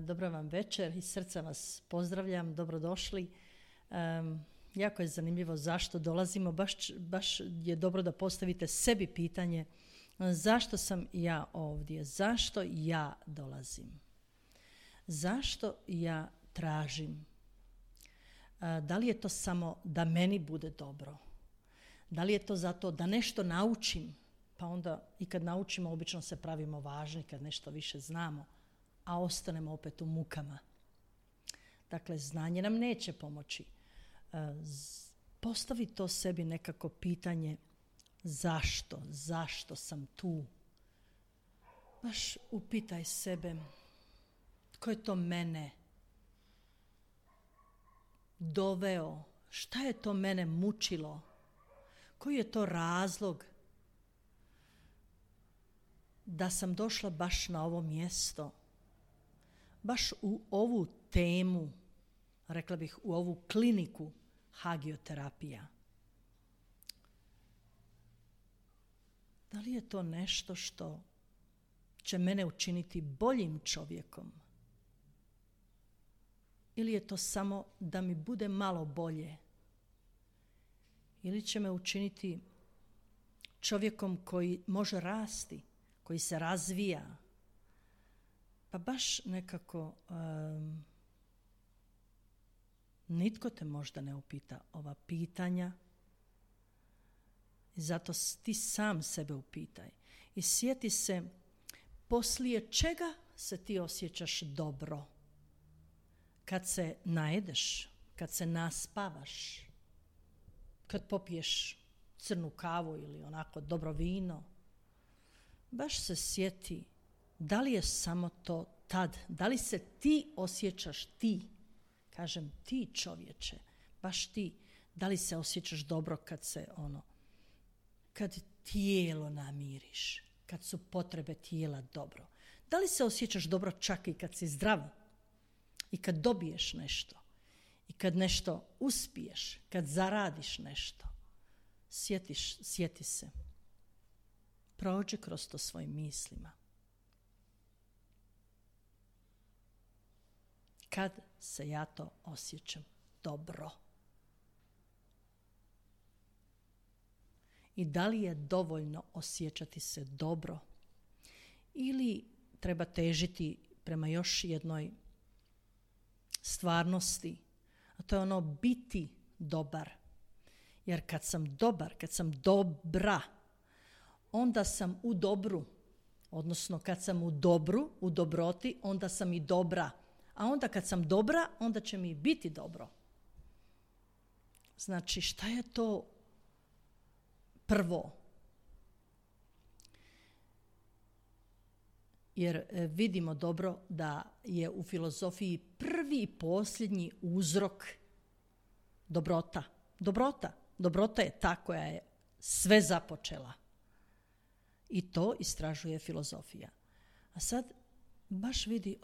Dobra vam večer, iz srca vas pozdravljam, dobrodošli. Jako je zanimljivo zašto dolazimo, baš je dobro da postavite sebi pitanje zašto sam ja ovdje, zašto ja dolazim, zašto ja tražim. Da li je to samo da meni bude dobro? Da li je to zato da nešto naučim? Pa onda i kad naučimo obično se pravimo važni kad nešto više znamo, a ostanemo opet u mukama. Dakle, znanje nam neće pomoći. Postavi to sebi nekako pitanje zašto sam tu? Baš upitaj sebe tko je to mene doveo, šta je to mene mučilo, koji je to razlog da sam došla baš na ovo mjesto, baš u ovu temu, rekla bih u ovu kliniku hagioterapija. Da li je to nešto što će mene učiniti boljim čovjekom? Ili je to samo da mi bude malo bolje? Ili će me učiniti čovjekom koji može rasti, koji se razvija? Pa baš nekako nitko te možda ne upita ova pitanja. I zato ti sam sebe upitaj. I sjeti se poslije čega se ti osjećaš dobro. Kad se najedeš, kad se naspavaš, kad popiješ crnu kavu ili onako dobro vino. Baš se sjeti da li je samo to tad, da li se ti osjećaš ti, kažem ti čovječe, baš ti, da li se osjećaš dobro kad tijelo namiriš, kad su potrebe tijela dobro. Da li se osjećaš dobro čak i kad si zdrav i kad dobiješ nešto i kad nešto uspiješ, kad zaradiš nešto. Sjeti se. Prođi kroz to svojim mislima. Kad se ja to osjećam dobro? I da li je dovoljno osjećati se dobro? Ili treba težiti prema još jednoj stvarnosti, a to je ono biti dobar. Jer kad sam dobar, kad sam dobra, onda sam u dobru. Odnosno kad sam u dobru, u dobroti, onda sam i dobra. A onda kad sam dobra, onda će mi biti dobro. Znači, šta je to prvo? Jer vidimo dobro da je u filozofiji prvi i posljednji uzrok dobrota. Dobrota je ta koja je sve započela. I to istražuje filozofija. A sad baš vidi,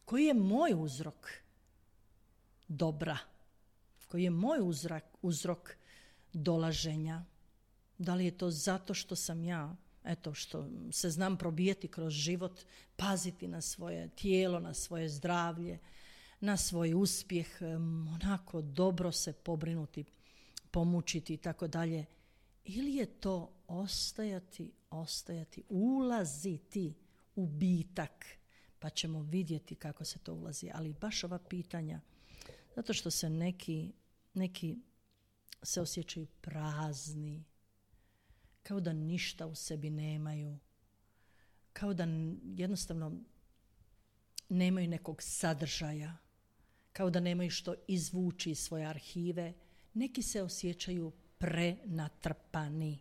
koji je moj uzrok dobra? Koji je moj uzrok dolaženja? Da li je to zato što sam ja, što se znam probijeti kroz život, paziti na svoje tijelo, na svoje zdravlje, na svoj uspjeh, onako dobro se pobrinuti, pomučiti i tako dalje. Ili je to ostajati, ulaziti u bitak, pa ćemo vidjeti kako se to ulazi. Ali baš ova pitanja, zato što se neki se osjećaju prazni, kao da ništa u sebi nemaju, kao da jednostavno nemaju nekog sadržaja, kao da nemaju što izvući iz svoje arhive. Neki se osjećaju prenatrpani,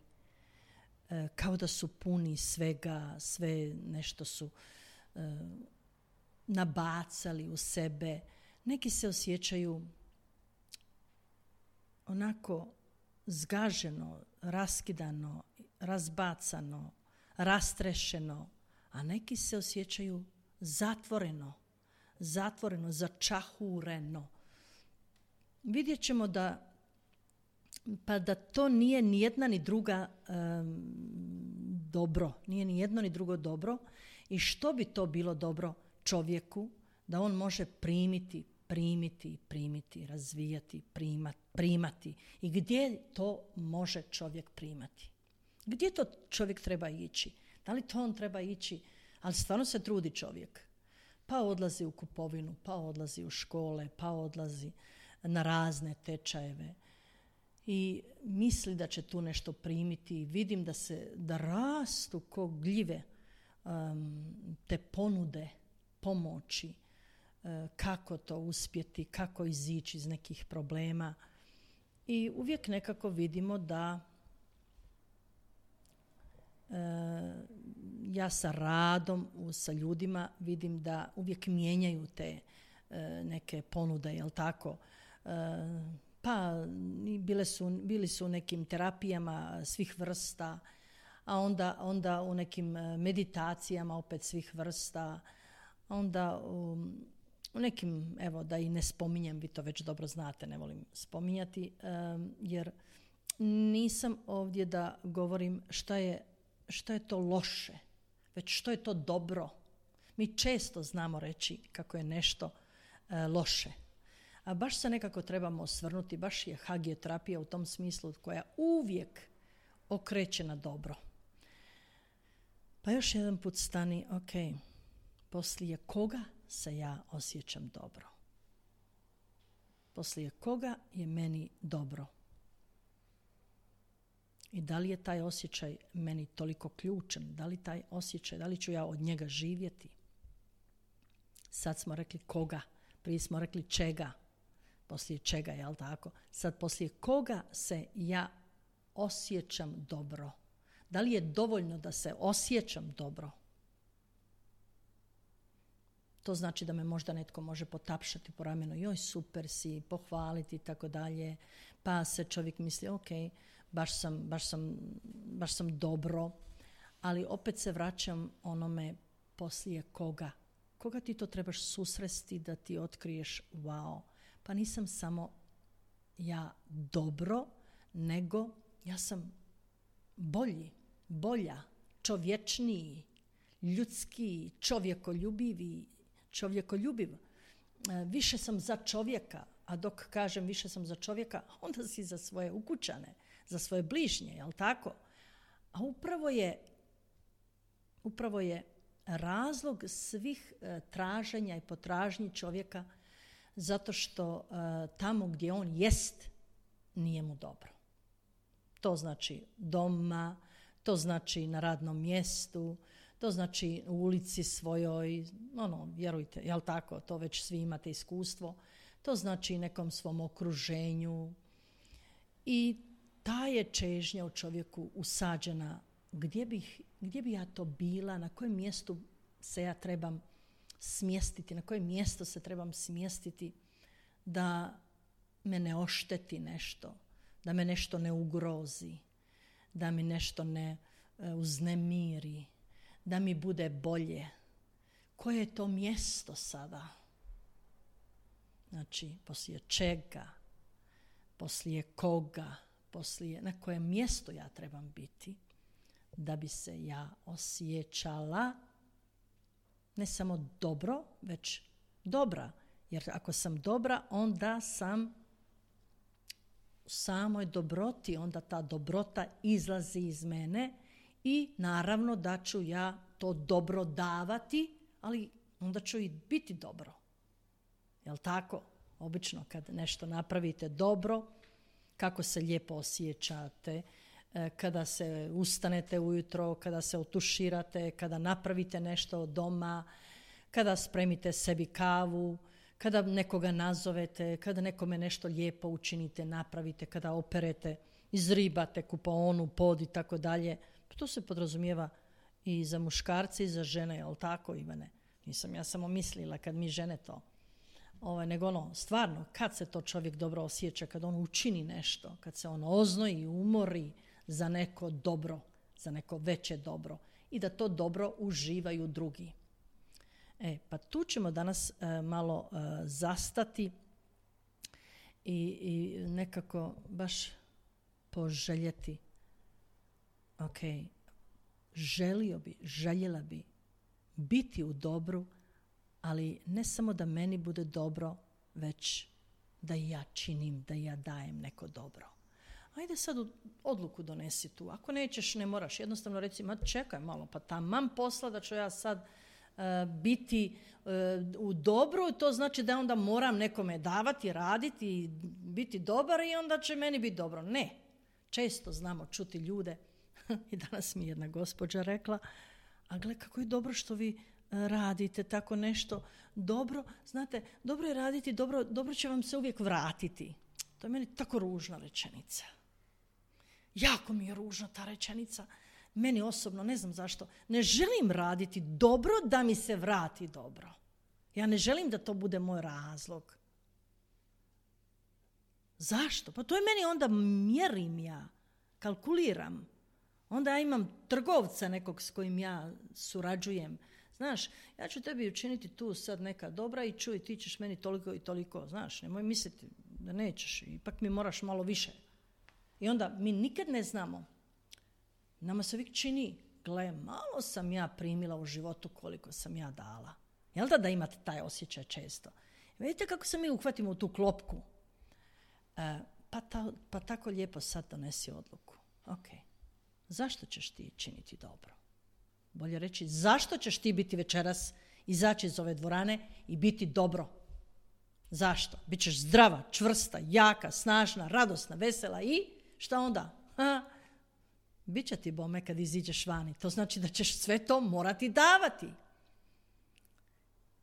kao da su puni svega, sve nešto su nabacali u sebe. Neki se osjećaju onako zgaženo, raskidano, razbacano, rastrešeno, a neki se osjećaju zatvoreno, začahureno. Vidjet ćemo da to nije ni jedna ni druga dobro. Nije ni jedno ni drugo dobro. I što bi to bilo dobro? čovjeku da on može primiti, razvijati, primati. I gdje to može čovjek primati? Gdje to čovjek treba ići? Da li to on treba ići? Ali stvarno se trudi čovjek. Pa odlazi u kupovinu, pa odlazi u škole, pa odlazi na razne tečajeve. I misli da će tu nešto primiti. Vidim da rastu ko gljive te ponude, pomoći, kako to uspjeti, kako izići iz nekih problema. I uvijek nekako vidimo da ja sa radom, sa ljudima vidim da uvijek mijenjaju te neke ponude, jel tako? Pa bili su u nekim terapijama svih vrsta, a onda u nekim meditacijama opet svih vrsta, onda u nekim, evo da i ne spominjem, vi to već dobro znate, ne volim spominjati, jer nisam ovdje da govorim šta je to loše, već što je to dobro. Mi često znamo reći kako je nešto loše. A baš se nekako trebamo osvrnuti, baš je hagioterapija u tom smislu koja uvijek okreće na dobro. Pa još jedan put stani, ok, poslije koga se ja osjećam dobro? Poslije koga je meni dobro? I da li je taj osjećaj meni toliko ključan? Da li taj osjećaj, da li ću ja od njega živjeti? Sad smo rekli koga, prije smo rekli čega, poslije čega, jel tako? Sad poslije koga se ja osjećam dobro? Da li je dovoljno da se osjećam dobro? To znači da me možda netko može potapšati po ramenu, joj super si, pohvaliti i tako dalje, pa se čovjek misli ok, baš sam dobro, ali opet se vraćam onome poslije koga. Koga ti to trebaš susresti da ti otkriješ wow, pa nisam samo ja dobro, nego ja sam bolja, čovječniji, ljudski, čovjekoljubiv. Više sam za čovjeka, a dok kažem više sam za čovjeka, onda si za svoje ukućane, za svoje bližnje, jel tako? A upravo je razlog svih traženja i potražnji čovjeka zato što tamo gdje on jest nije mu dobro. To znači doma, to znači na radnom mjestu, to znači u ulici svojoj, vjerujte, jel tako, to već svi imate iskustvo, to znači nekom svom okruženju i ta je čežnja u čovjeku usađena. Gdje bi ja to bila, na kojem mjestu se ja trebam smjestiti, na koje mjesto se trebam smjestiti da me ne ošteti nešto, da me nešto ne ugrozi, da mi nešto ne uznemiri, da mi bude bolje. Koje je to mjesto sada? Znači, poslije čega, poslije koga, na kojem mjestu ja trebam biti da bi se ja osjećala ne samo dobro, već dobra. Jer ako sam dobra, onda sam u samoj dobroti, onda ta dobrota izlazi iz mene i naravno da ću ja to dobro davati, ali onda ću i biti dobro. Jel tako? Obično kad nešto napravite dobro, kako se lijepo osjećate, kada se ustanete ujutro, kada se otuširate, kada napravite nešto doma, kada spremite sebi kavu, kada nekoga nazovete, kada nekome nešto lijepo učinite, napravite, kada operete, izribate kupaonu, pod i tako dalje. To se podrazumijeva i za muškarce i za žene, jel tako, Ivane? Nisam ja samo mislila kad mi žene to. Nego stvarno, kad se to čovjek dobro osjeća, kad on učini nešto, kad se on oznoji i umori za neko dobro, za neko veće dobro i da to dobro uživaju drugi. Pa tu ćemo danas malo zastati i nekako baš poželjeti. Željela bi biti u dobru ali ne samo da meni bude dobro, već da i ja činim, da i ja dajem neko dobro. Ajde sad odluku donesi tu. Ako nećeš, ne moraš. Jednostavno reci, ma čekaj malo, pa taman posla da ću ja sad biti u dobru, to znači da onda moram nekome davati, raditi i biti dobar i onda će meni biti dobro. Ne. Često znamo čuti ljude i danas mi jedna gospođa rekla, a gle kako je dobro što vi radite tako nešto dobro. Znate, dobro je raditi, dobro će vam se uvijek vratiti. To je meni tako ružna rečenica. Jako mi je ružna ta rečenica. Meni osobno, ne znam zašto, ne želim raditi dobro da mi se vrati dobro. Ja ne želim da to bude moj razlog. Zašto? Pa to je meni onda mjerim ja, kalkuliram. Onda ja imam trgovca nekog s kojim ja surađujem. Znaš, ja ću tebi učiniti tu sad neka dobra i čuj, ti ćeš meni toliko i toliko. Znaš, nemoj misliti da nećeš, ipak mi moraš malo više. I onda mi nikad ne znamo. Nama se uvijek čini, gle, malo sam ja primila u životu koliko sam ja dala. Jel da imate taj osjećaj često? Vidite kako se mi uhvatimo u tu klopku. Pa tako lijepo sad donesi odluku. Ok, zašto ćeš ti činiti dobro? Bolje reći, zašto ćeš ti biti večeras, izaći iz ove dvorane i biti dobro? Zašto? Bićeš zdrava, čvrsta, jaka, snažna, radosna, vesela i šta onda? Biće ti bome kad iziđeš vani. To znači da ćeš sve to morati davati.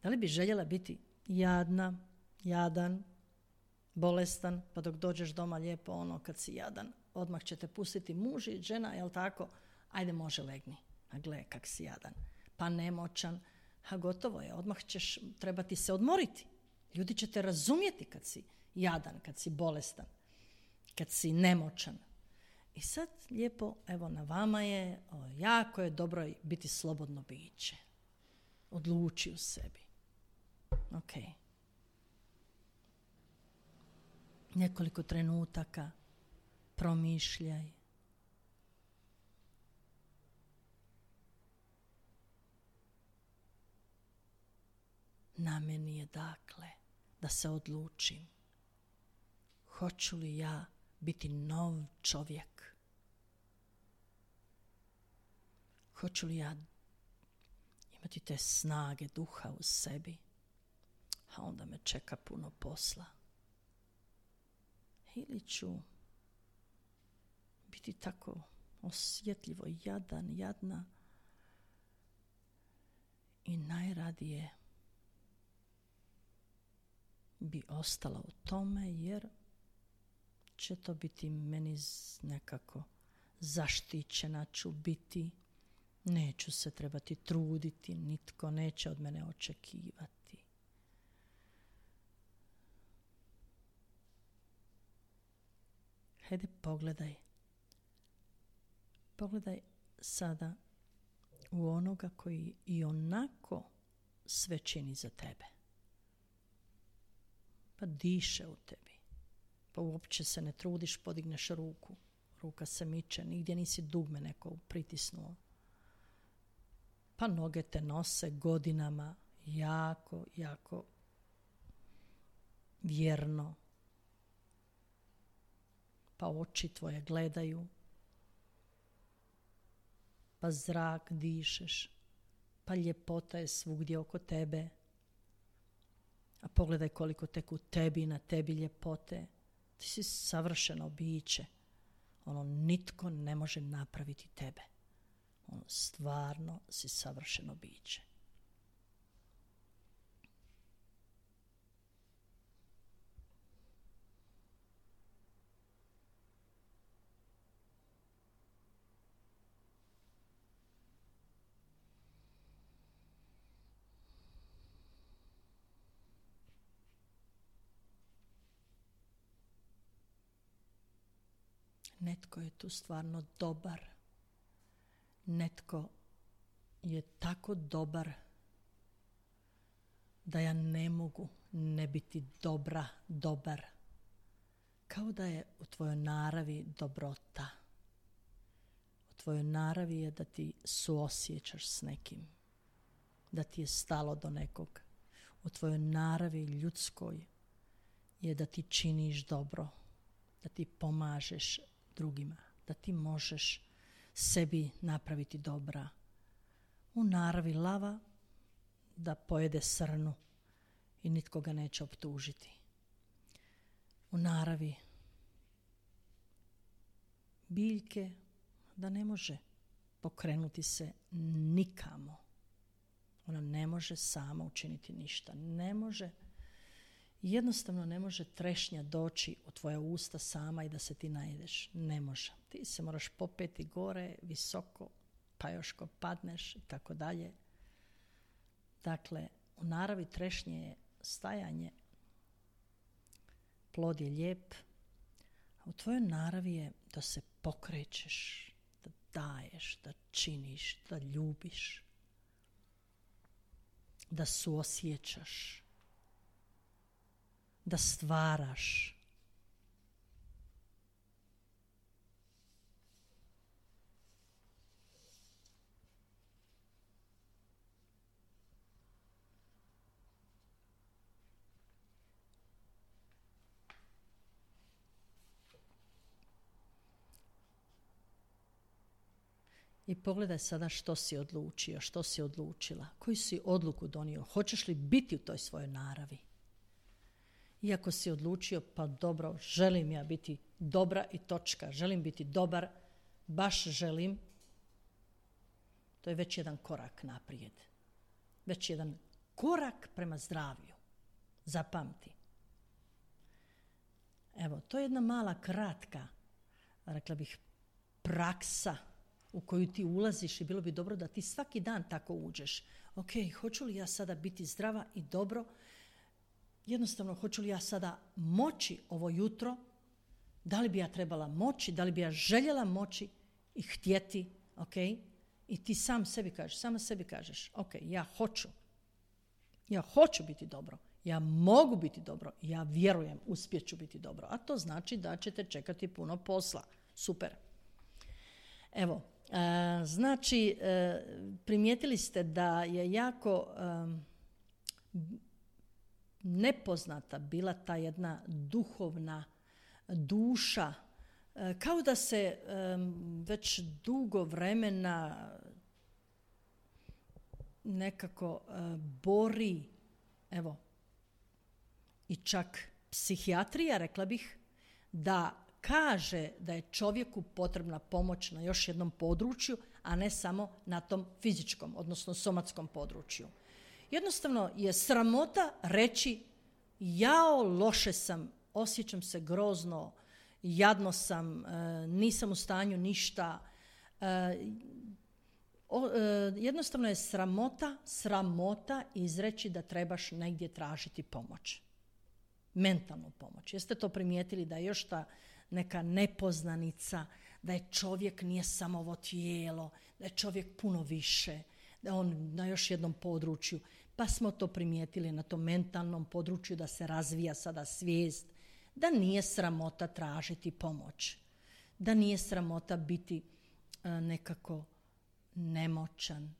Da li bi željela biti jadna, jadan, bolestan, pa dok dođeš doma lijepo ono kad si jadan, odmah će te pustiti muž i žena, jel tako? Ajde može legni. A gle kak si jadan. Pa nemoćan. A gotovo je, odmah ćeš trebati se odmoriti. Ljudi će te razumjeti kad si jadan, kad si bolestan, kad si nemoćan. I sad lijepo, evo na vama je, jako je dobro biti slobodno biće. Odluči u sebi. Ok. Nekoliko trenutaka promišljaj. Na meni je dakle da se odlučim. Hoću li ja biti nov čovjek? Hoću li ja imati te snage duha u sebi? A onda me čeka puno posla. Ili ću biti tako osjetljivo jadna i najradije bi ostala u tome jer će to biti meni nekako zaštićena ću biti, neću se trebati truditi, nitko neće od mene očekivati. Hajde pogledaj sada u onoga koji i onako sve čini za tebe. Pa diše u tebi. Pa uopće se ne trudiš, podigneš ruku. Ruka se miče, nigdje nisi dugme neko pritisnuo. Pa noge te nose godinama jako, jako vjerno. Pa oči tvoje gledaju. Pa zrak dišeš. Pa ljepota je svugdje oko tebe. A pogledaj koliko tek u tebi i na tebi ljepote. Ti si savršeno biće. Nitko ne može napraviti tebe. Stvarno si savršeno biće. Netko je tu stvarno dobar. Netko je tako dobar da ja ne mogu ne biti dobar. Kao da je u tvojoj naravi dobrota. U tvojoj naravi je da ti suosjećaš s nekim. Da ti je stalo do nekog. u tvojoj naravi ljudskoj je da ti činiš dobro, da ti pomažeš drugima, da ti možeš sebi napraviti dobra. U naravi lava da pojede srnu i nitko ga neće optužiti. U naravi biljke da ne može pokrenuti se nikamo. Ona ne može sama učiniti ništa. Ne može, jednostavno ne može trešnja doći u tvoja usta sama i da se ti najedeš. Ne može. Ti se moraš popeti gore, visoko, pa još ko padneš i tako dalje. Dakle, u naravi trešnje je stajanje. Plod je lijep, a u tvojoj naravi je da se pokrećeš, da daješ, da činiš, da ljubiš, da suosjećaš, da stvaraš. I pogledaj sada što si odlučio, što si odlučila, koju si odluku donio, hoćeš li biti u toj svojoj naravi. Iako si odlučio, pa dobro, želim ja biti dobra i točka, želim biti dobar, baš želim, to je već jedan korak naprijed. Već jedan korak prema zdravlju. Zapamti. Evo, to je jedna mala kratka, rekla bih, praksa u koju ti ulaziš i bilo bi dobro da ti svaki dan tako uđeš. Ok, hoću li ja sada biti zdrava i dobro? Jednostavno, hoću li ja sada moći ovo jutro? Da li bi ja trebala moći? Da li bi ja željela moći i htjeti? Ok? I ti sam sebi kažeš, sama sebi kažeš, ok, ja hoću. Ja hoću biti dobro. Ja mogu biti dobro. Ja vjerujem, uspjet ću biti dobro. A to znači da ćete čekati puno posla. Super. Evo, znači, primijetili ste da je jako nepoznata bila ta jedna duhovna duša, kao da se već dugo vremena nekako bori, evo, i čak psihijatrija, rekla bih, da kaže da je čovjeku potrebna pomoć na još jednom području, a ne samo na tom fizičkom, odnosno somatskom području. Jednostavno je sramota reći jao, loše sam, osjećam se grozno, jadno sam, nisam u stanju ništa. Jednostavno je sramota izreći da trebaš negdje tražiti pomoć. Mentalnu pomoć. Jeste to primijetili da je još ta neka nepoznanica, da je čovjek nije samo ovo tijelo, da je čovjek puno više, da on na još jednom području. Pa smo to primijetili na tom mentalnom području da se razvija sada svijest, da nije sramota tražiti pomoć, da nije sramota biti nekako nemoćan.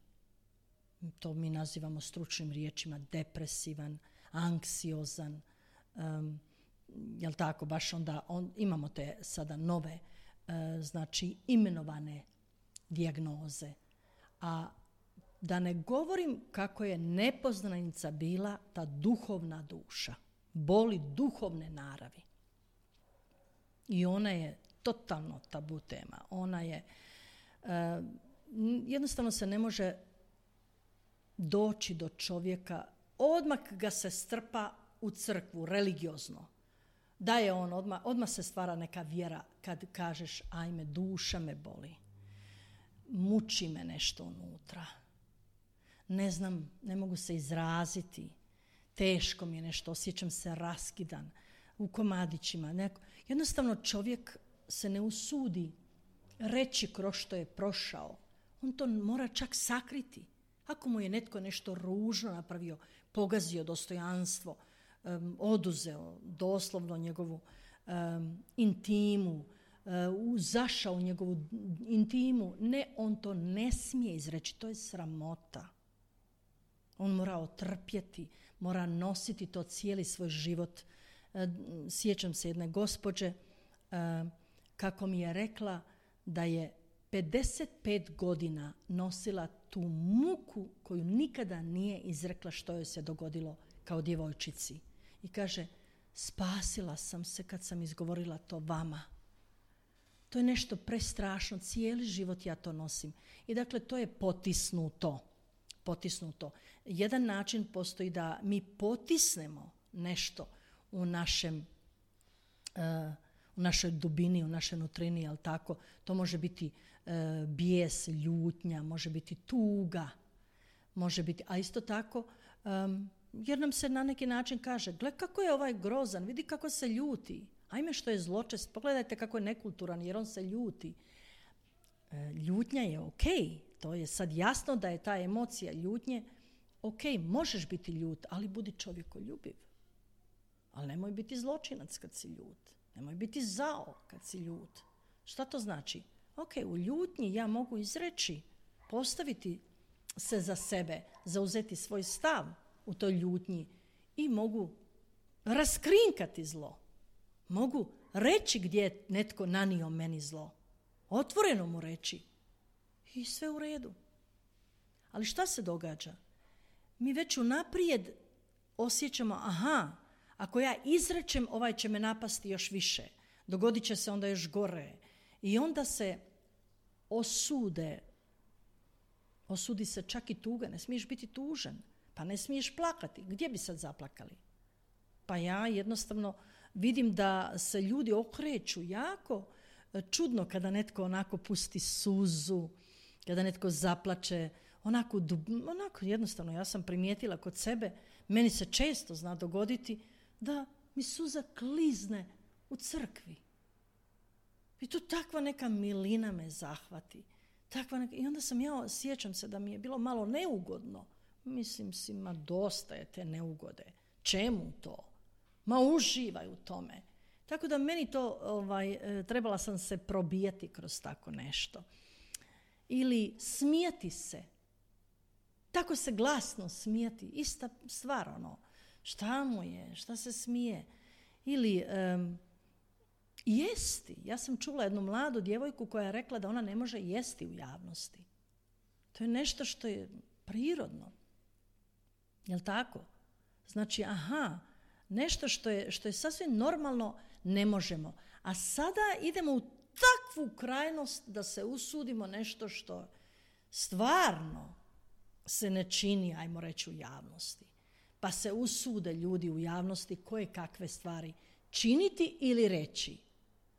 To mi nazivamo stručnim riječima depresivan, anksiozan, jel tako, baš onda imamo te sada nove, znači imenovane dijagnoze. A da ne govorim kako je nepoznanica bila ta duhovna duša, boli duhovne naravi. I ona je totalno tabu tema. Ona je, jednostavno se ne može doći do čovjeka, odmah ga se strpa u crkvu, religiozno. Da je on, odmah se stvara neka vjera kad kažeš ajme, duša me boli, muči me nešto unutra, ne znam, ne mogu se izraziti, teško mi je nešto, osjećam se raskidan, u komadićima. Jednostavno čovjek se ne usudi reći kroz što je prošao. On to mora čak sakriti. Ako mu je netko nešto ružno napravio, pogazio dostojanstvo, oduzeo doslovno njegovu intimu, zašao u njegovu intimu, ne, on to ne smije izreći, to je sramota. On mora otrpjeti, mora nositi to cijeli svoj život. Sjećam se jedne gospođe kako mi je rekla da je 55 godina nosila tu muku koju nikada nije izrekla što joj se dogodilo kao djevojčici. I kaže, spasila sam se kad sam izgovorila to vama. To je nešto prestrašno, cijeli život ja to nosim. I dakle, to je potisnuto. Jedan način postoji da mi potisnemo nešto u našoj dubini, u našoj nutrini, jel tako? To može biti bijes, ljutnja, može biti tuga, može biti, a isto tako, jer nam se na neki način kaže, gle kako je ovaj grozan, vidi kako se ljuti, ajme što je zločest, pogledajte kako je nekulturan jer on se ljuti. Ljutnja je ok, to je sad jasno da je ta emocija ljutnje, ok, možeš biti ljut, ali budi čovjekoljubiv. Ali nemoj biti zločinac kad si ljut. Nemoj biti zao kad si ljut. Šta to znači? Ok, u ljutnji ja mogu izreći, postaviti se za sebe, zauzeti svoj stav u toj ljutnji i mogu raskrinkati zlo. Mogu reći gdje je netko nanio meni zlo. Otvoreno mu reći. I sve u redu. Ali šta se događa? Mi već unaprijed osjećamo, ako ja izrečem, ovaj će me napasti još više. Dogodit će se onda još gore. I onda se osudi se čak i tuga. Ne smiješ biti tužan. Pa ne smiješ plakati. Gdje bi sad zaplakali? Pa ja jednostavno vidim da se ljudi okreću jako čudno kada netko onako pusti suzu, kada netko zaplače, onako jednostavno ja sam primijetila kod sebe, meni se često zna dogoditi da mi suza klizne u crkvi. I tu takva neka milina me zahvati. I onda sjećam se da mi je bilo malo neugodno. Mislim si, ma dosta je te neugode. Čemu to? Ma uživaj u tome. Tako da meni to, trebala sam se probijati kroz tako nešto. Ili smijati se. Tako se glasno smijati. Ista stvar, šta mu je, šta se smije. Ili jesti. Ja sam čula jednu mladu djevojku koja je rekla da ona ne može jesti u javnosti. To je nešto što je prirodno. Jel' tako? Znači, nešto što je sasvim normalno ne možemo. A sada idemo u takvu krajnost da se usudimo nešto što stvarno se ne čini, ajmo reći, u javnosti. Pa se usude ljudi u javnosti koje kakve stvari činiti ili reći.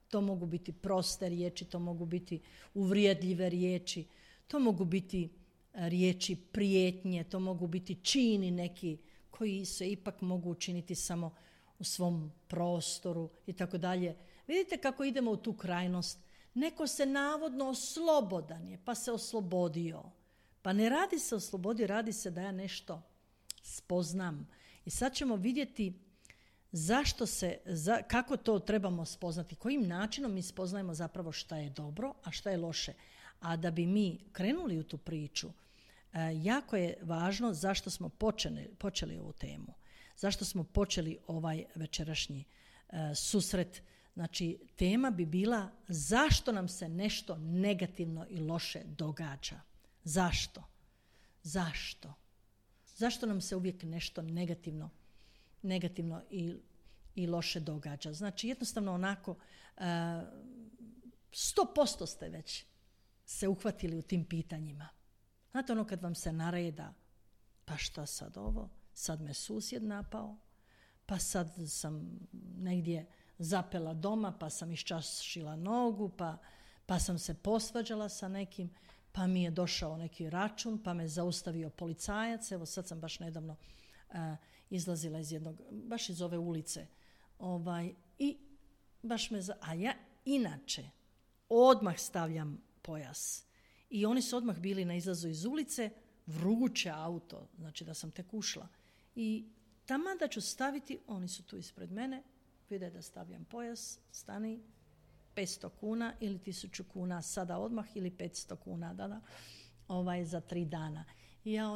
To mogu biti proste riječi, to mogu biti uvrijedljive riječi, to mogu biti riječi prijetnje, to mogu biti čini neki koji se ipak mogu učiniti samo u svom prostoru i tako dalje. Vidite kako idemo u tu krajnost. Neko se navodno slobodan je, pa se oslobodio. Pa ne radi se o slobodi, radi se da ja nešto spoznam. I sad ćemo vidjeti kako to trebamo spoznati, kojim načinom mi spoznajemo zapravo šta je dobro, a šta je loše. A da bi mi krenuli u tu priču, jako je važno zašto smo počeli ovu temu. Zašto smo počeli ovaj večerašnji susret. Znači, tema bi bila zašto nam se nešto negativno i loše događa. Zašto? Zašto nam se uvijek nešto negativno i loše događa? Znači, jednostavno onako 100% ste već se uhvatili u tim pitanjima. Znate kad vam se nareda, pa šta sad ovo? Sad me susjed napao, pa sad sam negdje zapela doma, pa sam iščašila nogu, pa sam se posvađala sa nekim, pa mi je došao neki račun, pa me zaustavio policajac. Evo sad sam baš nedavno izlazila baš iz ove ulice. I baš a ja inače odmah stavljam pojas. I oni su odmah bili na izlazu iz ulice, vruće auto, znači da sam tek ušla. I taman da ću staviti, oni su tu ispred mene, vide da stavljam pojas, stani, 500 kuna ili 1000 kuna sada odmah ili 500 kuna za 3 dana. I ja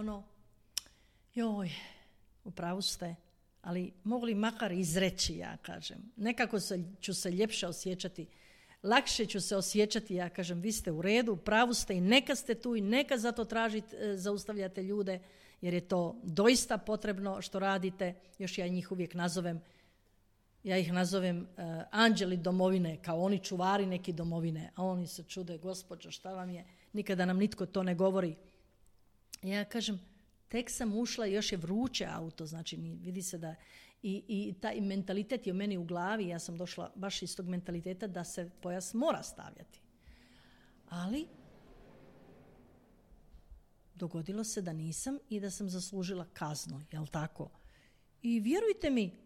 u pravu ste, ali mogu li makar izreći, ja kažem. Nekako ću se ljepše osjećati, lakše ću se osjećati, ja kažem, vi ste u redu, u pravu ste i neka ste tu i neka zato zaustavljate ljude, jer je to doista potrebno što radite. Još ja njih uvijek nazovem anđeli domovine, kao oni čuvari neki domovine, a oni se čude, gospođo, šta vam je, nikada nam nitko to ne govori. Ja kažem, tek sam ušla i još je vruće auto, znači vidi se da i taj mentalitet je u meni u glavi, ja sam došla baš iz tog mentaliteta da se pojas mora stavljati. Ali dogodilo se da nisam i da sam zaslužila kaznu, jel tako? I vjerujte mi,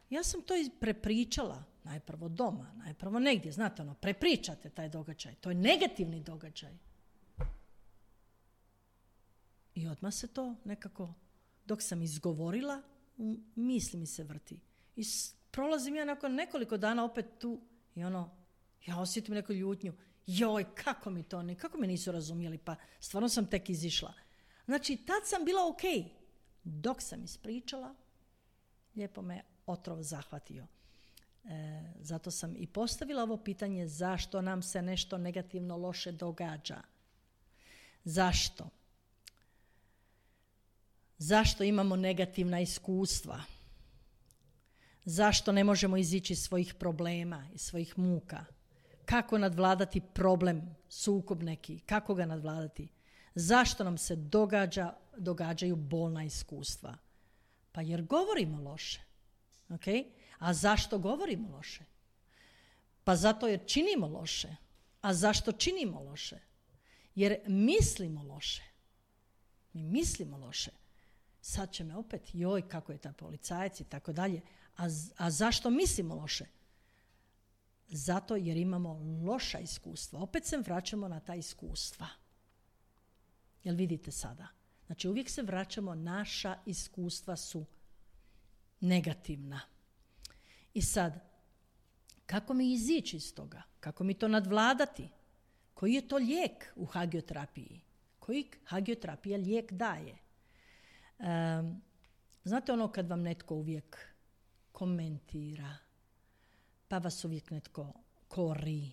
ja sam to prepričala, najprvo doma, najprvo negdje, znate prepričate taj događaj, to je negativni događaj. I odmah se to nekako, dok sam izgovorila, misli mi se vrti. I prolazim ja nakon nekoliko dana opet tu i ja osjetim neku ljutnju. Joj, kako mi nisu razumjeli, pa stvarno sam tek izišla. Znači, tad sam bila ok. Dok sam ispričala, lijepo me otrov zahvatio. Zato sam i postavila ovo pitanje zašto nam se nešto negativno loše događa. Zašto? Zašto imamo negativna iskustva? Zašto ne možemo izići iz svojih problema i svojih muka? Kako nadvladati problem, sukob neki? Kako ga nadvladati? Zašto nam se događaju bolna iskustva? Pa jer govorimo loše. Okay? A zašto govorimo loše? Pa zato jer činimo loše. A zašto činimo loše? Jer mislimo loše. Mi mislimo loše. Sad će me opet, joj, kako je ta policajac i tako dalje. A zašto mislimo loše? Zato jer imamo loša iskustva. Opet se vraćamo na ta iskustva. Jel vidite sada? Znači uvijek se vraćamo, naša iskustva su negativna. I sad, kako mi izići iz toga? Kako mi to nadvladati? Koji je to lijek u hagioterapiji? Koji hagioterapija lijek daje? Znate kad vam netko uvijek komentira, pa vas uvijek netko kori,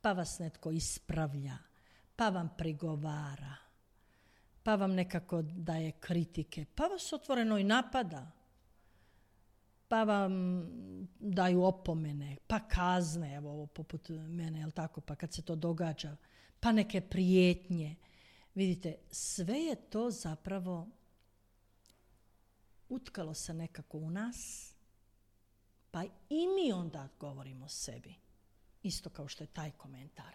pa vas netko ispravlja, pa vam prigovara, pa vam nekako daje kritike, pa vas otvoreno i napada, pa vam daju opomene, pa kazne, evo ovo poput mene, jel tako, pa kad se to događa, pa neke prijetnje. Vidite, sve je to zapravo utkalo se nekako u nas, pa i mi onda govorimo sebi. Isto kao što je taj komentar.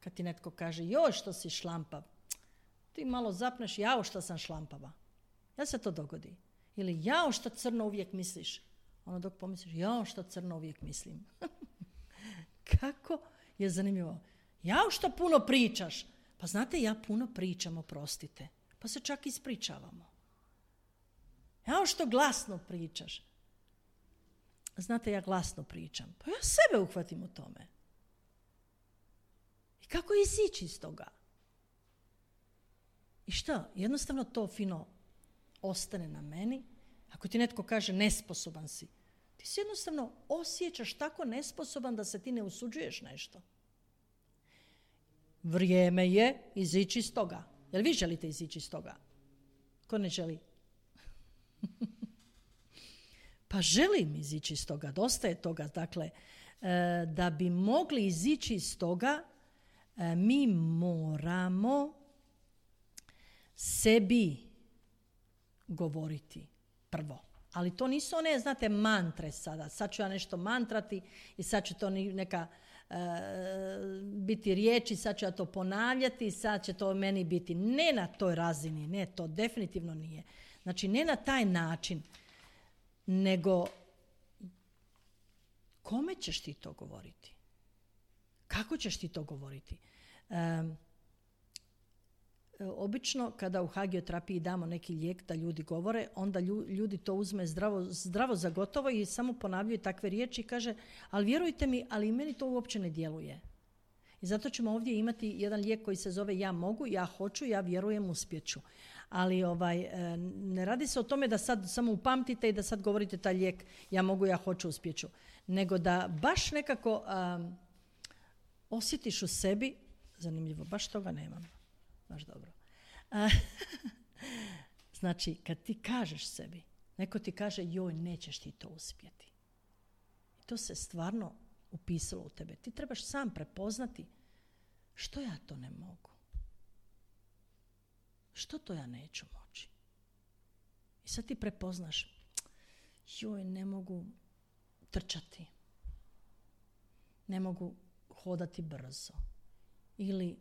Kad ti netko kaže, joj što si šlampav, ti malo zapneš, jao što sam šlampava. Jel se to dogodi? Ili jao što crno uvijek misliš. Dok pomisliš, jao što crno uvijek mislim. Kako je zanimljivo. Jao što puno pričaš. Pa znate, ja puno pričam, oprostite. Pa se čak ispričavamo. Jao što glasno pričaš. Znate, ja glasno pričam. Pa ja sebe uhvatim u tome. I kako izići iz toga? I šta? Jednostavno to fino ostane na meni. Ako ti netko kaže nesposoban si, ti se jednostavno osjećaš tako nesposoban da se ti ne usuđuješ nešto. Vrijeme je izići iz toga. Jel vi želite izići iz toga? Ko ne želi? Pa želim izići iz toga, dosta je toga. Dakle, da bi mogli izići iz toga, mi moramo sebi govoriti prvo. Ali to nisu one, znate, mantre sada. Sad ću ja nešto mantrati i sad će to neka biti riječi, sad ću ja to ponavljati i sad će to meni biti. Ne na toj razini, ne, to definitivno nije. Znači, ne na taj način, nego kome ćeš ti to govoriti? Kako ćeš ti to govoriti? Obično kada u hagioterapiji damo neki lijek da ljudi govore, onda ljudi to uzme zdravo za gotovo i samo ponavljaju takve riječi i kaže, ali vjerujte mi, ali meni to uopće ne djeluje. I zato ćemo ovdje imati jedan lijek koji se zove ja mogu, ja hoću, ja vjerujem, uspjeću. Ali ne radi se o tome da sad samo upamtite i da sad govorite taj lijek ja mogu, ja hoću, uspjeću. Nego da baš nekako osjetiš u sebi, zanimljivo, baš toga nemam, baš dobro. Znači, kad ti kažeš sebi, neko ti kaže joj, nećeš ti to uspjeti. I to se stvarno upisalo u tebe. Ti trebaš sam prepoznati što ja to ne mogu. Što to ja neću moći? I sad ti prepoznaš, joj, ne mogu trčati. Ne mogu hodati brzo. Ili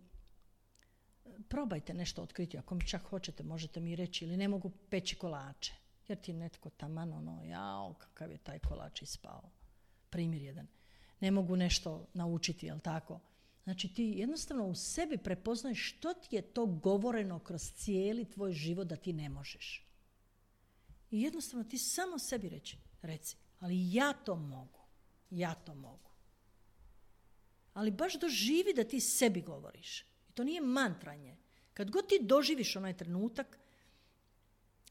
probajte nešto otkriti, ako mi čak hoćete, možete mi reći, ili ne mogu peći kolače. Jer ti netko taman jao, kakav je taj kolač ispao. Primjer jedan. Ne mogu nešto naučiti, jel tako? Znači ti jednostavno u sebi prepoznaješ što ti je to govoreno kroz cijeli tvoj život da ti ne možeš. I jednostavno ti samo sebi reci, ali ja to mogu. Ja to mogu. Ali baš doživi da ti sebi govoriš. I to nije mantranje. Kad god ti doživiš onaj trenutak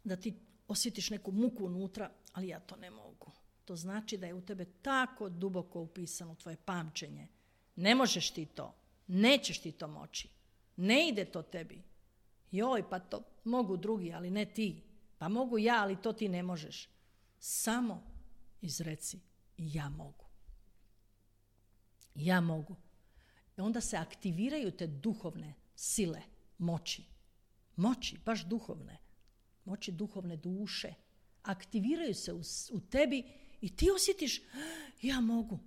da ti osjetiš neku muku unutra, ali ja to ne mogu. To znači da je u tebe tako duboko upisano tvoje pamćenje. Ne možeš ti to. Nećeš ti to moći. Ne ide to tebi. Joj, pa to mogu drugi, ali ne ti. Pa mogu ja, ali to ti ne možeš. Samo izreci ja mogu. Ja mogu. I onda se aktiviraju te duhovne sile, moći. Moći, baš duhovne. Moći duhovne duše. Aktiviraju se u tebi i ti osjetiš ja mogu.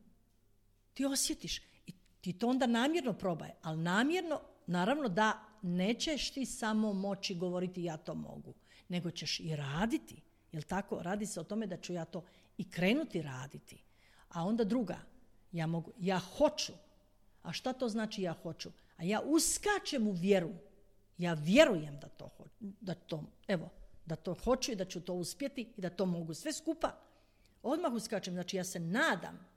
Ti osjetiš. I ti to onda namjerno probaj. Ali namjerno, naravno da nećeš ti samo moći govoriti ja to mogu. Nego ćeš i raditi. Jel tako? Radi se o tome da ću ja to i krenuti raditi. A onda druga. Ja mogu. Ja hoću. A šta to znači ja hoću? A ja uskačem u vjeru. Ja vjerujem da to hoću i da ću to uspjeti i da to mogu sve skupa. Odmah uskačem, znači ja se nadam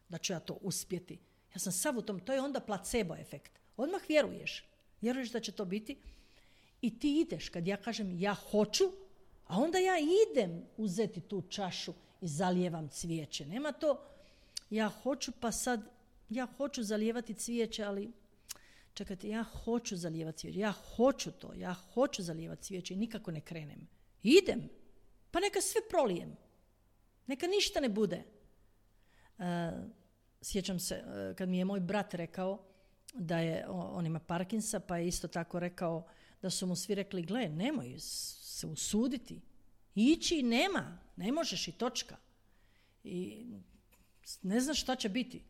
da ću ja to uspjeti. Ja sam sav u tom, to je onda placebo efekt. Odmah vjeruješ da će to biti i ti ideš, kad ja kažem ja hoću, a onda ja idem uzeti tu čašu i zalijevam cvijeće. Nema to, ja hoću pa sad, ja hoću zalijevati cvijeće, ali čekajte, ja hoću zalijevati cvijeće, ja hoću zalijevati cvijeće i nikako ne krenem. Idem, pa neka sve prolijem. Neka ništa ne bude. Sjećam se kad mi je moj brat rekao da je, on ima Parkinsa, pa je isto tako rekao da su mu svi rekli, gle, nemoj se usuditi. Ići nema, ne možeš i točka. I ne znaš šta će biti.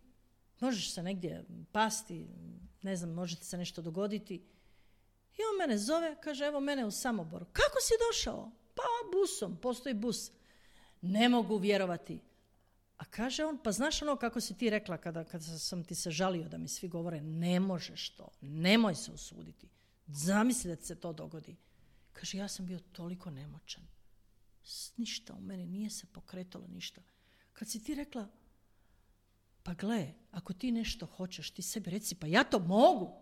Možeš se negdje pasti, ne znam, može ti se nešto dogoditi. I on mene zove, kaže, evo mene u Samoboru. Kako si došao? Pa busom, postoji bus. Ne mogu vjerovati. A kaže on, pa znaš ono kako si ti rekla kada sam ti se žalio da mi svi govore, ne možeš to, nemoj se usuditi. Zamisli da ti se to dogodi. Kaže, ja sam bio toliko nemoćan. Ništa u meni, nije se pokretalo ništa. Kad si ti rekla, pa gle, ako ti nešto hoćeš, ti sebi reci, pa ja to mogu.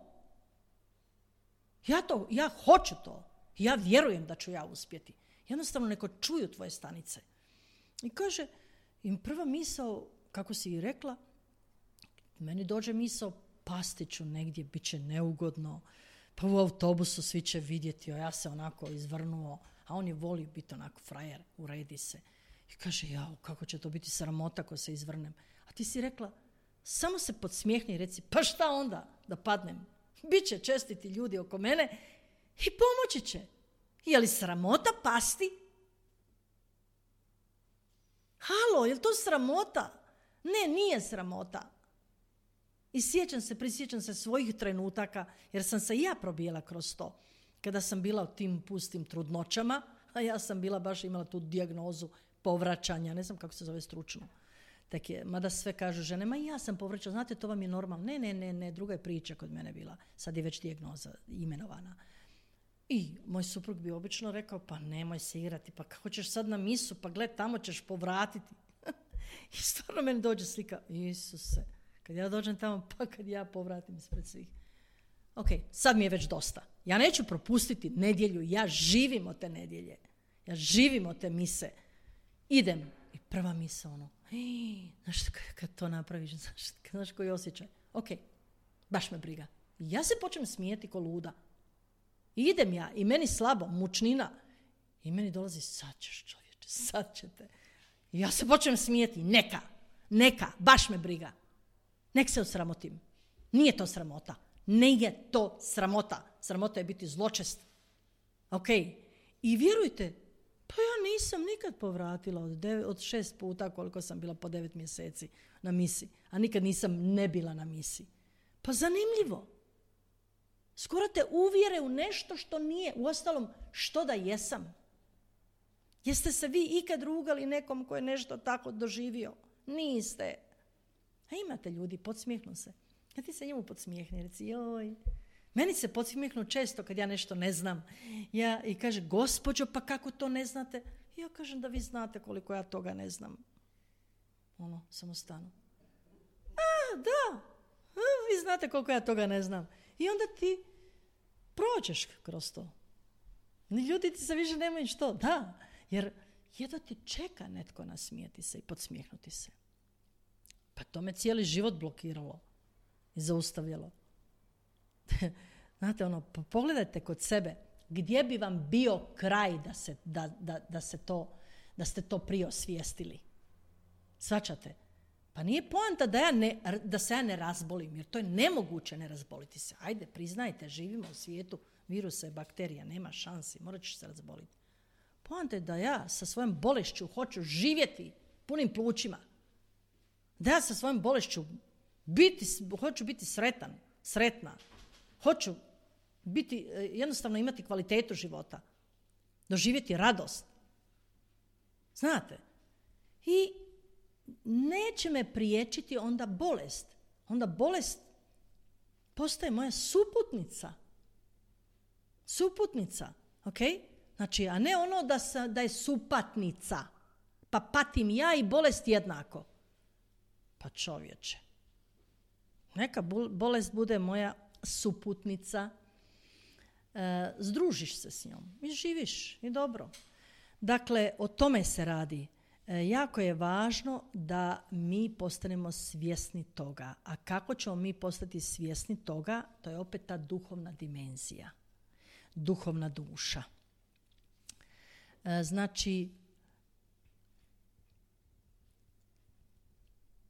Ja hoću to. Ja vjerujem da ću ja uspjeti. Jednostavno neko čuju tvoje stanice. I kaže, im prva misao, kako si i rekla, meni dođe misao, pasti ću negdje, bit će neugodno, pa u autobusu svi će vidjeti, a ja se onako izvrnuo, a on je volio biti onako frajer, uredi se. I kaže, jao, kako će to biti sramota ako se izvrnem. A ti si rekla, samo se podsmijehni i reci, pa šta onda da padnem? Biće čestiti ljudi oko mene i pomoći će. Je li sramota pasti? Halo, je li to sramota? Ne, nije sramota. I prisjećam se svojih trenutaka, jer sam se i ja probijela kroz to. Kada sam bila u tim pustim trudnoćama, a ja sam bila baš imala tu dijagnozu povraćanja, ne znam kako se zove stručno. Mada sve kažu žene, ma i ja sam povraćala, znate, to vam je normalno. Ne, druga je priča kod mene bila. Sad je već dijagnoza imenovana. I moj suprug bi obično rekao, pa nemoj se igrati, pa kako ćeš sad na misu, pa gle, tamo ćeš povratiti. I stvarno meni dođe slika, Isuse, kad ja dođem tamo, pa kad ja povratim ispred svih. Ok, sad mi je već dosta. Ja neću propustiti nedjelju, ja živim od te nedjelje. Ja živim od te mise. Idem. I prva misa znaš kad to napraviš, znaš koji osjećaj. Ok, baš me briga. Ja se počnem smijeti ko luda. I idem ja i meni slabo, mučnina. I meni dolazi, sad ćeš čovječe, sad ćete. I ja se počnem smijeti, neka, baš me briga. Nek se osramotim. Nije to sramota. Nije to sramota. Sramota je biti zločest. Ok. I vjerujte, pa ja nisam nikad povratila od 6 puta koliko sam bila po 9 mjeseci na misi. A nikad nisam ne bila na misi. Pa zanimljivo. Skoro te uvjere u nešto što nije. Uostalom, što da jesam? Jeste se vi ikad rugali nekom ko je nešto tako doživio? Niste. A imate ljudi, podsmijehnu se. Ja ti se njemu podsmijehni, reci, joj. Meni se podsmijehnu često kad ja nešto ne znam. I kaže, gospođo, pa kako to ne znate? Ja kažem da vi znate koliko ja toga ne znam. Samo stanu. Da, vi znate koliko ja toga ne znam. I onda ti prođeš kroz to. Ljudi ti se više nemaju što. Da, jer jedva ti čeka netko nasmijeti se i podsmijehnuti se. Pa to me cijeli život blokiralo i zaustavljalo. Znate, pogledajte kod sebe gdje bi vam bio kraj da ste to prije osvijestili. Shvaćate? Pa nije poanta da se ja ne razbolim, jer to je nemoguće ne razboliti se. Ajde, priznajte, živimo u svijetu virusa i bakterija, nema šansi, morat ćeš se razboliti. Poanta je da ja sa svojom bolešću hoću živjeti punim plućima. Da ja sa svojom bolešću hoću biti sretna. Hoću jednostavno imati kvalitetu života. Doživjeti radost. Znate? I neće me priječiti onda bolest. Onda bolest postaje moja suputnica. Ok? Znači, a ne ono da je supatnica. Pa patim ja i bolest jednako. Pa čovječe. Neka bolest bude moja suputnica. Združiš se s njom i živiš i dobro. Dakle, o tome se radi. Jako je važno da mi postanemo svjesni toga. A kako ćemo mi postati svjesni toga? To je opet ta duhovna dimenzija. Duhovna duša. Znači,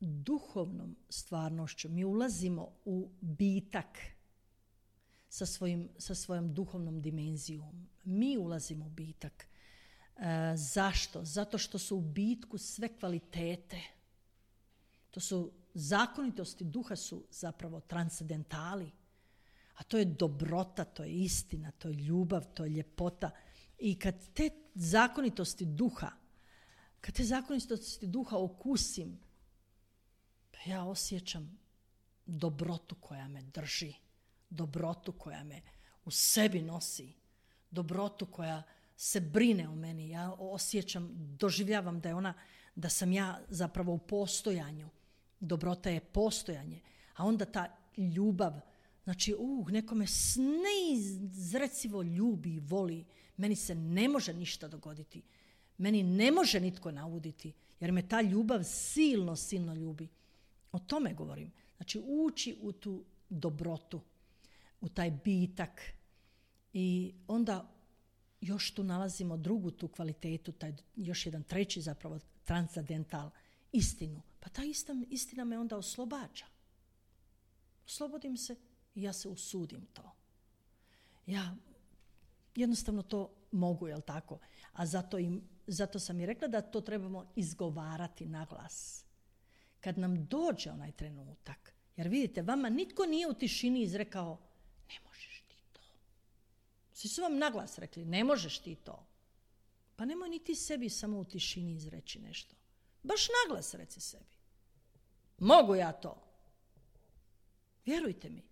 duhovnom stvarnošću mi ulazimo u bitak sa svojom duhovnom dimenzijom. Mi ulazimo u bitak. Zašto? Zato što su u bitku sve kvalitete. To su zakonitosti duha su zapravo transcendentali. A to je dobrota, to je istina, to je ljubav, to je ljepota. I kad te zakonitosti duha okusim, pa ja osjećam dobrotu koja me drži, dobrotu koja me u sebi nosi, dobrotu koja se brine o meni. Ja osjećam, doživljavam da sam ja zapravo u postojanju. Dobrota je postojanje. A onda ta ljubav, znači neko me neizrecivo ljubi i voli. Meni se ne može ništa dogoditi. Meni ne može nitko nauditi, jer me ta ljubav silno, silno ljubi. O tome govorim. Znači, ući u tu dobrotu, u taj bitak. I onda još tu nalazimo drugu tu kvalitetu, taj još jedan treći zapravo transcendental, istinu. Pa ta istina me onda oslobađa. Oslobodim se i ja se usudim to. Ja jednostavno to mogu, jel tako? A zato sam i rekla da to trebamo izgovarati na glas. Kad nam dođe onaj trenutak, jer vidite, vama nitko nije u tišini izrekao, ne možeš ti to. Svi su vam na glas rekli, ne možeš ti to. Pa nemoj ni ti sebi samo u tišini izreći nešto. Baš na glas reci sebi. Mogu ja to. Vjerujte mi.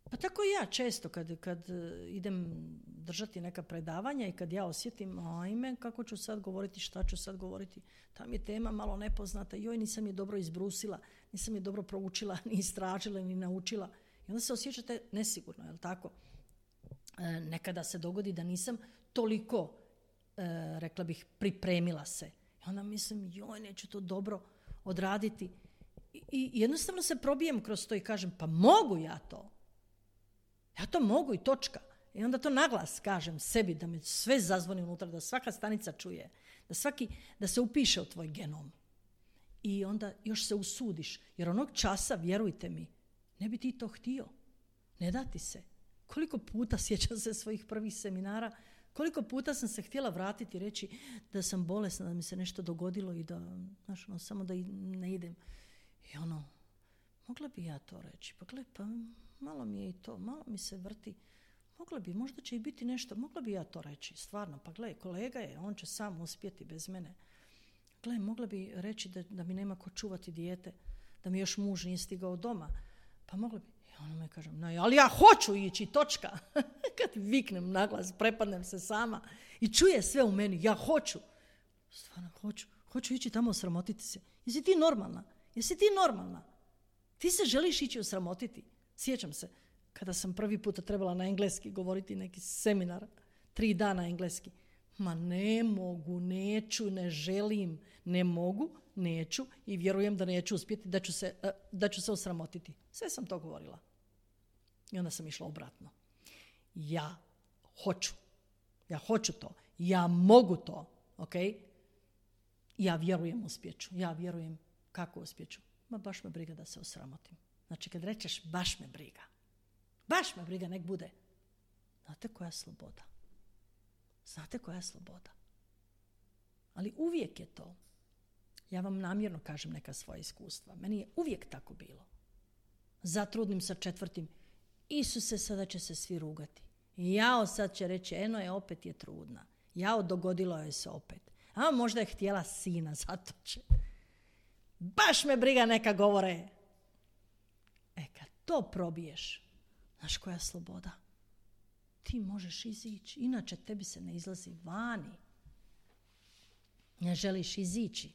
Pa tako i ja često kad idem držati neka predavanja i kad ja osjetim, ajme, kako ću sad govoriti, šta ću sad govoriti, tam je tema malo nepoznata, joj, nisam je dobro izbrusila, nisam je dobro proučila, ni istražila, ni naučila. I onda se osjećate nesigurno, je li tako? Nekada se dogodi da nisam toliko, rekla bih, pripremila se. I onda mislim, neću to dobro odraditi. I jednostavno se probijem kroz to i kažem, pa mogu ja to. Ja to mogu i točka. I onda to naglas kažem sebi, da mi sve zazvoni unutra, da svaka stanica čuje, da se upiše u tvoj genom. I onda još se usudiš. Jer onog časa, vjerujte mi, ne bi ti to htio. Ne da ti se. Koliko puta, sjećam se svojih prvih seminara, koliko puta sam se htjela vratiti i reći da sam bolesna, da mi se nešto dogodilo i da, samo da ne idem. I mogla bi ja to reći. Pa gle, pa malo mi je i to, malo mi se vrti. Mogla bi, možda će i biti nešto, mogla bi ja to reći, stvarno. Pa gle, kolega je, on će sam uspjeti bez mene. Gle, mogla bi reći da mi nema ko čuvati dijete, da mi još muž nije stigao doma. Pa mogla bi. I ona me kaže, ali ja hoću ići, točka. Kad viknem naglas, prepadnem se sama i čuje sve u meni, ja hoću. Stvarno hoću ići tamo osramotiti se. Jesi ti normalna? Ti se želiš ići osramotiti? Sjećam se, kada sam prvi puta trebala na engleski govoriti neki seminar, 3 dana engleski. Ma ne mogu, neću, ne želim, ne mogu, neću i vjerujem da neću uspjeti, da ću se osramotiti. Sve sam to govorila. I onda sam išla obratno. Ja hoću to, ja mogu to, ok? Ja vjerujem uspjeću, ja vjerujem kako uspjeću. Ma baš me briga da se osramotim. Znači kad rečeš baš me briga, nek bude. Znate koja je sloboda? Ali uvijek je to. Ja vam namjerno kažem neka svoja iskustva. Meni je uvijek tako bilo. Zatrudnim sa 4. Isuse, sada će se svi rugati. Jao, sad će reći, eno je, opet je trudna. Jao, dogodilo je se opet. A možda je htjela sina, zato će. Baš me briga, neka govore. Kad to probiješ, znaš koja je sloboda? Ti možeš izići, inače tebi se ne izlazi vani. Ne želiš izići.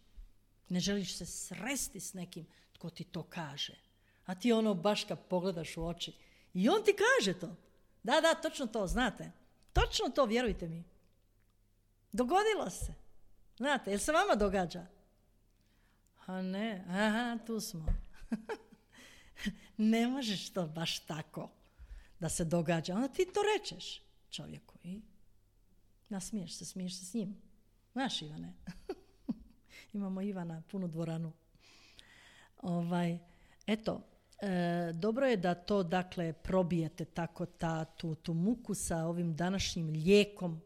Ne želiš se sresti s nekim tko ti to kaže. A ti baš kad pogledaš u oči. I on ti kaže to. Da, točno to, znate. Točno to, vjerujte mi. Dogodilo se. Znate, jel se vama događa? A ne, tu smo. Ne možeš to baš tako da se događa. Onda ti to rečeš čovjeku i nasmiješ se, smiješ se s njim. Znaš, Ivane? Imamo Ivana, punu dvoranu. Dobro je da to, dakle, probijete tako tu muku sa ovim današnjim lijekom,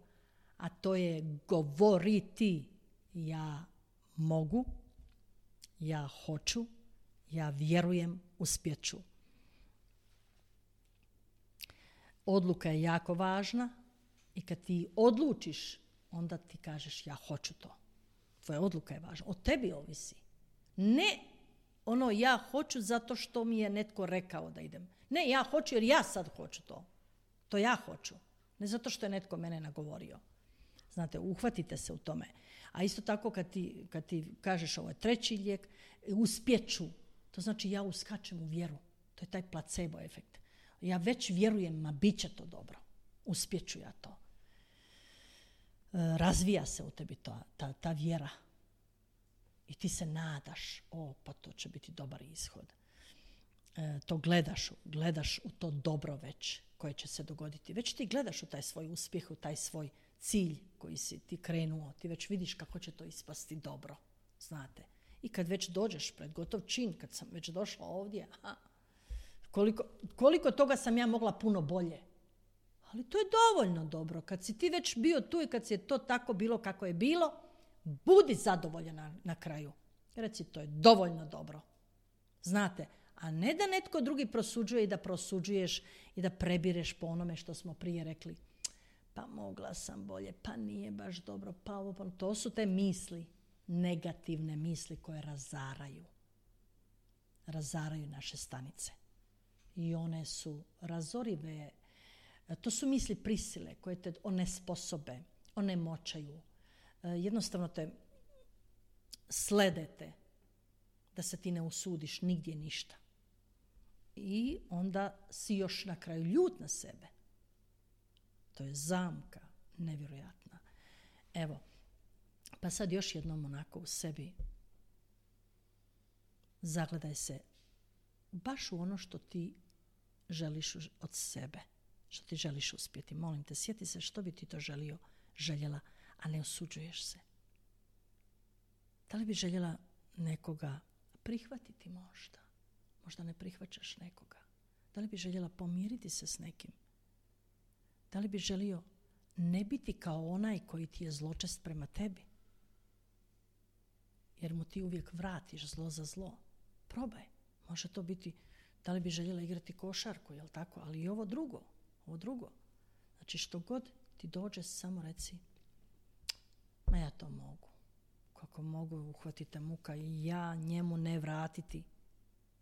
a to je govoriti. Ja mogu, ja hoću, ja vjerujem, uspjeću. Odluka je jako važna i kad ti odlučiš, onda ti kažeš ja hoću to. Tvoja odluka je važna. Od tebi ovisi. Ne ja hoću zato što mi je netko rekao da idem. Ne, ja hoću jer ja sad hoću to. To ja hoću. Ne zato što je netko mene nagovorio. Znate, uhvatite se u tome. A isto tako kad ti kažeš ovo je 3. lijek, uspjeću. To znači ja uskačem u vjeru. To je taj placebo efekt. Ja već vjerujem, ma bit će to dobro. Uspjeću ja to. Razvija se u tebi ta vjera. I ti se nadaš, pa to će biti dobar ishod. To gledaš u to dobro već koje će se dogoditi. Već ti gledaš u taj svoj uspjeh, u taj svoj cilj koji si ti krenuo. Ti već vidiš kako će to ispasti dobro. Znate. I kad već dođeš pred gotov čin, kad sam već došla ovdje, koliko toga sam ja mogla puno bolje. Ali to je dovoljno dobro. Kad si ti već bio tu i kad si je to tako bilo kako je bilo, budi zadovoljan na kraju. Reci, to je dovoljno dobro. Znate, a ne da netko drugi prosuđuje i da prosuđuješ i da prebireš po onome što smo prije rekli. Pa mogla sam bolje, pa nije baš dobro, pa ovo, pa to su te misli, negativne misli koje razaraju naše stanice. I one su razorive. To su misli prisile koje te onesposobe, onemoćaju. Jednostavno te sledete da se ti ne usudiš nigdje ništa. I onda si još na kraju ljut na sebe. To je zamka nevjerojatna. Evo, pa sad još jednom onako u sebi zagledaj se baš u ono što ti želiš od sebe, što ti želiš uspjeti. Molim te, sjeti se što bi ti to željela, a ne osuđuješ se. Da li bi željela nekoga prihvatiti možda? Možda ne prihvaćaš nekoga. Da li bi željela pomiriti se s nekim? Da li bi želio ne biti kao onaj koji ti je zločest prema tebi? Jer mu ti uvijek vratiš zlo za zlo. Probaj. Može to biti, da li bi željela igrati košarku, jel tako? Ali i ovo drugo. Znači što god ti dođe, samo reci, ma ja to mogu. Kako mogu uhvatiti muka i ja njemu ne vratiti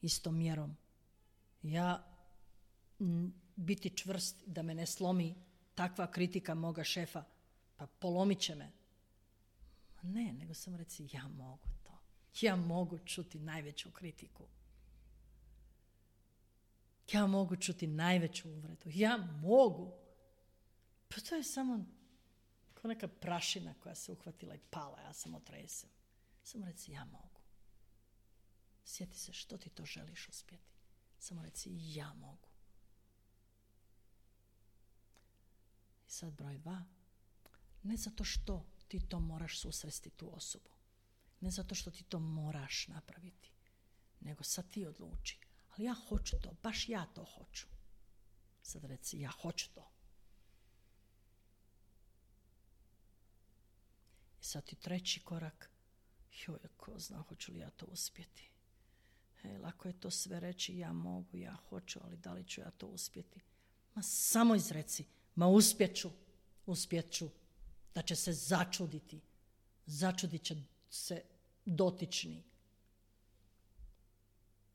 istom mjerom. Ja biti čvrst da me ne slomi takva kritika moga šefa, pa polomit će me. Ne, nego samo reci, ja mogu to. Ja mogu čuti najveću kritiku. Ja mogu čuti najveću uvredu. Ja mogu. Pa to je samo kao neka prašina koja se uhvatila i pala. Ja sam otresem. Samo reci, ja mogu. Sjeti se što ti to želiš uspjeti. Samo reci, ja mogu. I sad broj 2. Ne zato što ti to moraš susresti tu osobu. Ne zato što ti to moraš napraviti. Nego sad ti odluči. Ali ja hoću to, baš ja to hoću. Sad reci, ja hoću to. I sad ti treći korak. Joj, ko zna, hoću li ja to uspjeti. Lako je to sve reći, ja mogu, ja hoću, ali da li ću ja to uspjeti? Ma samo izreci, ma uspjet ću, da će se začuditi. Začudit će se dotični.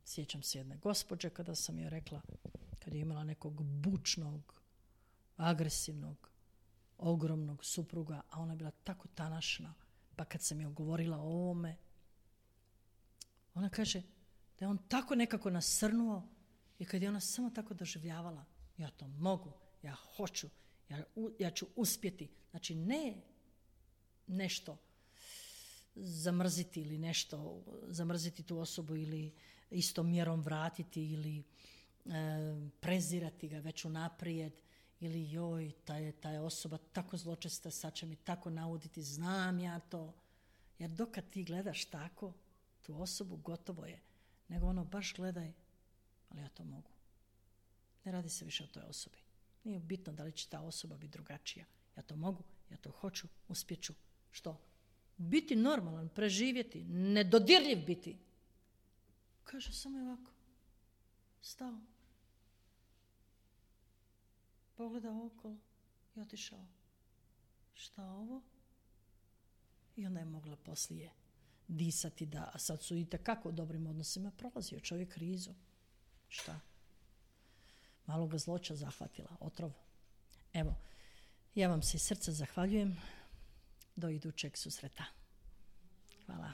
Sjećam se jedne gospođe kada sam joj rekla, kad je imala nekog bučnog, agresivnog, ogromnog supruga, a ona je bila tako tanašna, pa kad sam joj govorila o ovome, ona kaže da je on tako nekako nasrnuo i kad je ona samo tako doživljavala, ja to mogu, ja hoću, ja ću uspjeti. Znači ne nešto zamrziti ili nešto, zamrziti tu osobu ili istom mjerom vratiti ili prezirati ga već unaprijed ili joj, ta je osoba tako zločesta, sad će mi tako nauditi, znam ja to. Jer dokad ti gledaš tako tu osobu, gotovo je. Nego ono, baš gledaj, ali ja to mogu. Ne radi se više o toj osobi. Nije bitno da li će ta osoba biti drugačija. Ja to mogu, ja to hoću, uspjeću. Što? Biti normalan, preživjeti, nedodirljiv biti. Kaže, samo je ovako. Stao. Pogledao okolo i otišao. Šta ovo? I onda je mogla poslije disati da, a sad su itekako u dobrim odnosima, prolazio čovjek krizu. Šta? Malo ga zloća zahvatila, otrov. Evo, ja vam se iz srca zahvaljujem. Do idućeg susreta. Hvala.